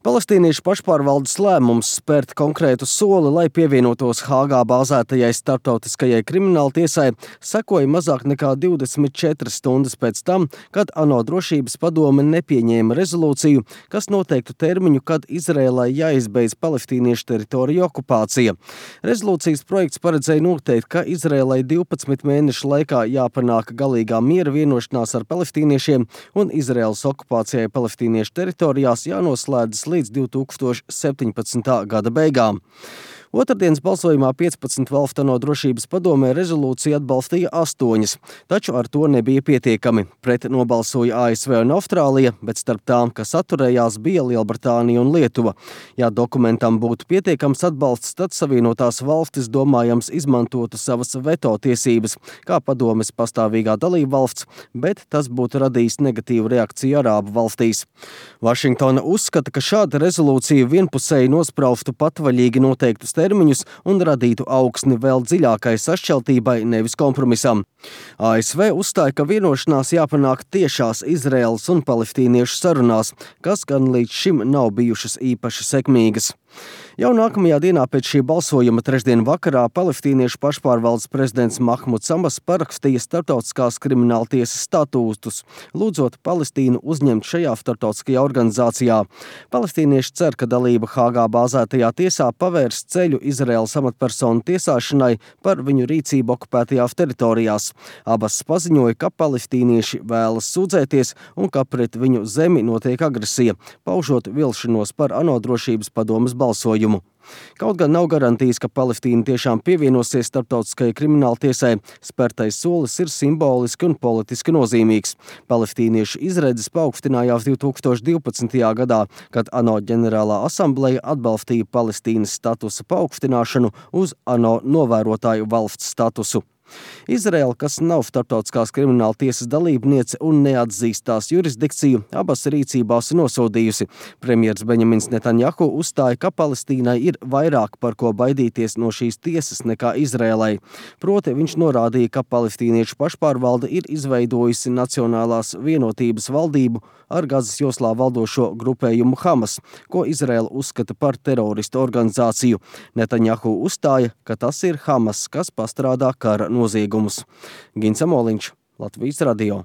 Palestīniešu pašpārvaldes lēmums spērt konkrētu soli, lai pievienotos Hāgā bāzētajai starptautiskajai krimināltiesai, sekoja mazāk nekā 24 stundas pēc tam, kad ANO drošības padome nepieņēma rezolūciju, kas noteiktu termiņu, kad Izrēlai jāizbeidz palestīniešu teritoriju okupācija. Rezolūcijas projekts paredzēja noteikt, ka Izrēlai 12 mēnešu laikā jāpanāk galīgā miera vienošanās ar palestīniešiem un Izraēlas okupācijai palestīniešu teritorijās jānoslēdzas līdz 2017. gada beigām. Otrdienas balsojumā 15 valstu ANO drošības padomē rezolūciju atbalstīja 8, taču ar to nebija pietiekami. Pret nobalsoja ASV un Austrālija, bet starp tām, kas atturējās, bija Lielbritānija un Lietuva. Ja dokumentam būtu pietiekams atbalsts, tad Savienotās valstis domājams izmantotu savas veto tiesības, kā padomes pastāvīgā dalība valsts, bet tas būtu radījis negatīvu reakciju Arābu valstīs. Vašingtona uzskata, ka šāda rezolūcija vienpusēji nospraustu patvaļīgi noteiktus termiņus un radītu augsni vēl dziļākai sašķeltībai, nevis kompromisam. ASV uzstāja, ka vienošanās jāpanāk tiešās Izraēlas un palestīniešu sarunās, kas gan līdz šim nav bijušas īpaši sekmīgas. Jau nākamajā dienā pēc šī balsojuma trešdien vakarā palestīniešu pašpārvaldes prezidents Mahmuds Abbas parakstīja starptautiskās krimināltiesas statūtus, lūdzot Palestīnu uzņemt šajā starptautiskajā organizācijā. Palestīnieši cer, ka dalība Hāgā bāzētajā tiesā pavērs ceļu Izraēlas amatpersonu tiesāšanai par viņu rīcību okupētajās teritorijās. Abbas paziņoja, ka palestīnieši vēlas sūdzēties un ka pret viņu zemi notiek agresija, paužot vilšanos par ANO drošības padomes balsojumu. Kaut gan nav garantijas, ka Palestīna tiešām pievienosies starptautiskajai krimināltiesai, spērtais solis ir simboliski un politiski nozīmīgs. Palestīniešu izredzes paaugstinājās 2012. gadā, kad ANO ģenerālā asambleja atbalstīja Palestīnas statusa paaugstināšanu uz ANO novērotāju valsts statusu. Izraēla, kas nav starptautiskās krimināltiesas dalībniece un neatzīst tās jurisdikciju, abas rīcībās nosodījusi. Premjers Benjamins Netanjahu uzstāja, ka Palestīnai ir vairāk par ko baidīties no šīs tiesas nekā Izraēlai. Proti viņš norādīja, ka palestīniešu pašpārvalde ir izveidojusi Nacionālās vienotības valdību ar Gazas joslā valdošo grupējumu Hamas, ko Izraēla uzskata par teroristu organizāciju. Netanjahu uzstāja, ka tas ir Hamas, kas pastrādā kara noziegumus. Gins Amoliņš, Latvijas radio.